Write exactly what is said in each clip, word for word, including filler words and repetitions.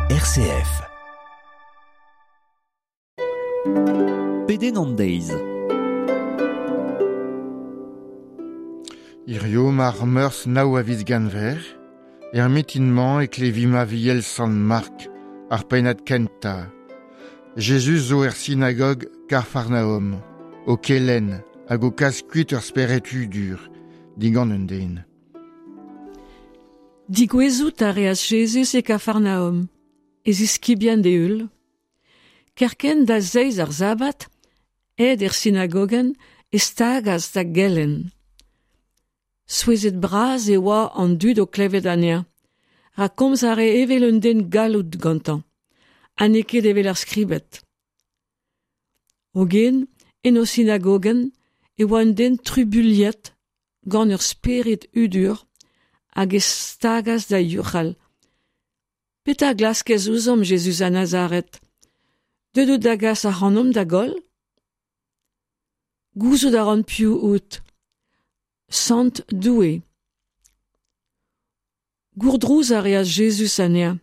R C F. Pedenn an deiz. Hirio ar meurzh nav a viz Genver, er mintin-mañ e klevimp Aviel Sant Mark, ar pennad kentañ. Jezuz zo er sinagog Kafarnaom, o kelenn hag o kas kuit ur spered hudur, digant un den. Digouezout a reas Jezuz e Kafarnaom, e ziskibien d'e heul. Kerkent da zeiz ar sabbat, aet er sinagogenn e stagas da gelenn. Souezhet bras e oa an dud o klevet anezhañ, rak komz a rae evel un den galloud gantañ, ha n'eo ket evel ar skribed. Hogen, en o sinagogenn, e oa un den trubuilhet gant ur spered hudur hag e stagas da youc'hal. Petra glaskez ouzhomp, Jezuz a Nazaret? Deuet out da gas ac'hanomp da goll? Gouzout a ran piv out. Sant Doue. Gourdrouz a reas Jezuz anezhañ.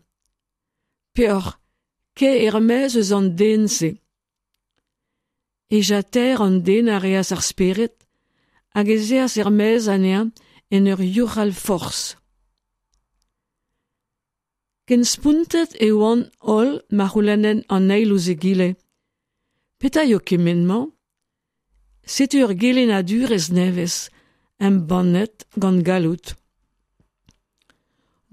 Peoc'h, kae er-maez eus an den-se. Hejañ taer an den a reas ar spered hag ez eas er-maez anezhañ en ur youc'hal forzh. Ken spontet e oant holl ma c'houlennent an eil ouzh egile. Petra eo kement-mañ? Setu ur gelennadurezh nevez, embannet gant galloud.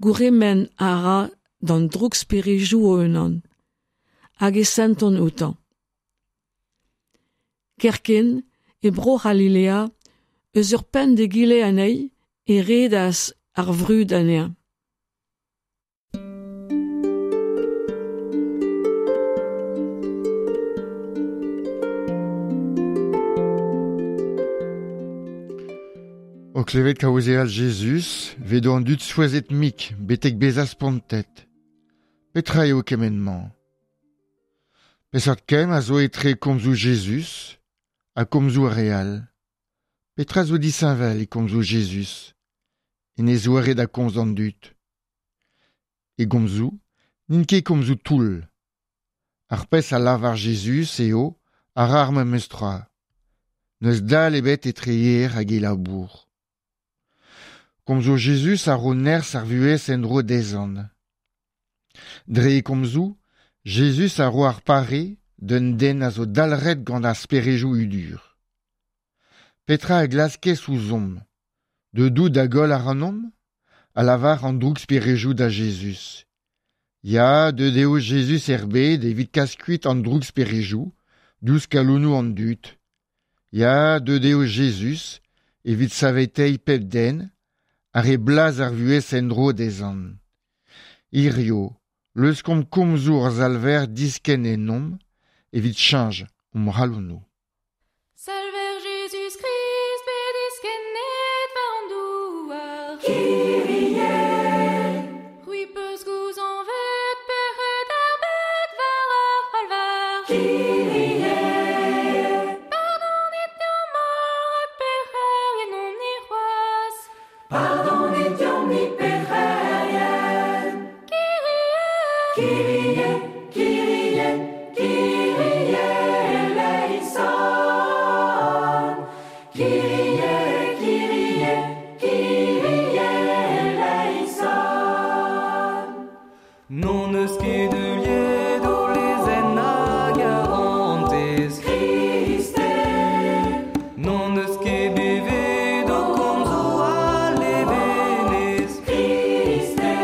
Gourc'hemenn a ra d'an drouksperedoù o-unan, hag e sentont outañ. Kerkent, e Bro-C'halilea, eus ur penn d'egile anezhi, e redas ar vrud anezhañ. O klevet kaozeal Jezuz, vedo an dud souezhet mik, betek bezañ spontet. Petra eo kement-mañ? Peseurt kemm a zo etre komzoù Jezuz ha komzoù ar re all? Petra zo disheñvel e komzoù Jezuz? En e zoare da komz d'an dud. E gomzoù n'int ket komzoù toull. Ar pezh a lavar Jezuz eo a ra ar memes tra. N'eus dal ebet etre e ger hag e labour. Komzoù Jezuz a ro nerzh ar vuhez en-dro dezhañ. Dre e komzoù, Jezuz a ro ar pare d'un den a zo dalc'het gant ar speredoù hudur. Petra a glaskez ouzhomp? Deuet out da goll ac'hanomp? A lavar an drouksperedoù da Jezuz. Ya, deuet eo Jezuz er bed evit kas kuit an drouksperedoù diouzh kalonoù an dud. Ya, deuet eo Jezuz evit saveteiñ pep den ha reiñ blaz ar vuhez en-dro dezhañ. Hirio, leuskomp komzoù hor Salver diskenn ennomp evit cheñch hon c'halonoù. Salver Jezuz Krist, bet diskennet war an douar. C'hwi peus gouzañvet pec'hed ar bed war ar c'halvar. Pardonit deomp holl rak pec'herien omp-ni c'hoazh. Pardonit deomp-ni pec'herien. Kyrie, Kyrie, Kyrie, Kyrie eleison. Kyrie, Kyrie, Kyrie eleison. N'hon eus ket heuliet ho lezenn a garantez. Kriste, N'hon eus ket bevet ho komzoù a levenez. Kriste,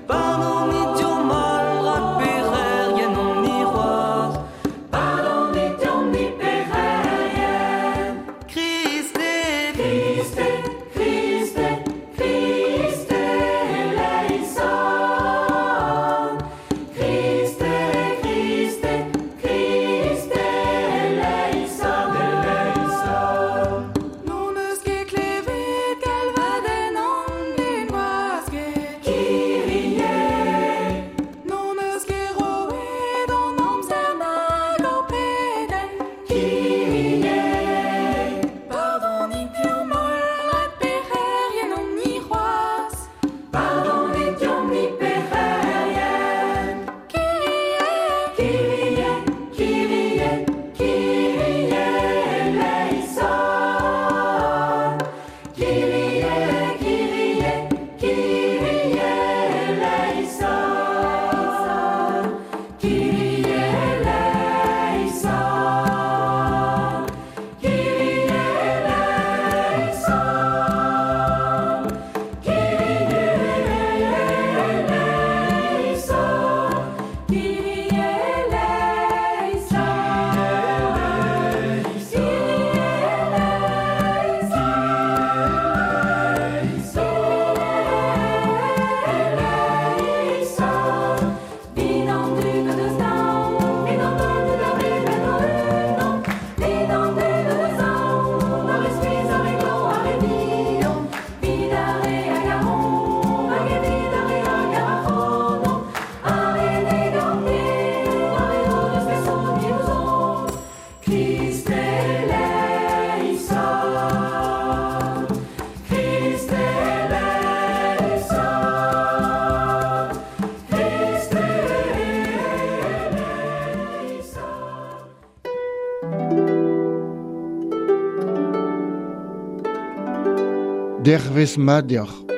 Pardonit deomp holl rak pec'herien omp-ni c'hoazh. Pardonit deomp-ni pec'herien. Kriste, Kriste, Kriste, Kriste eleison. Dervez mat deoc'h.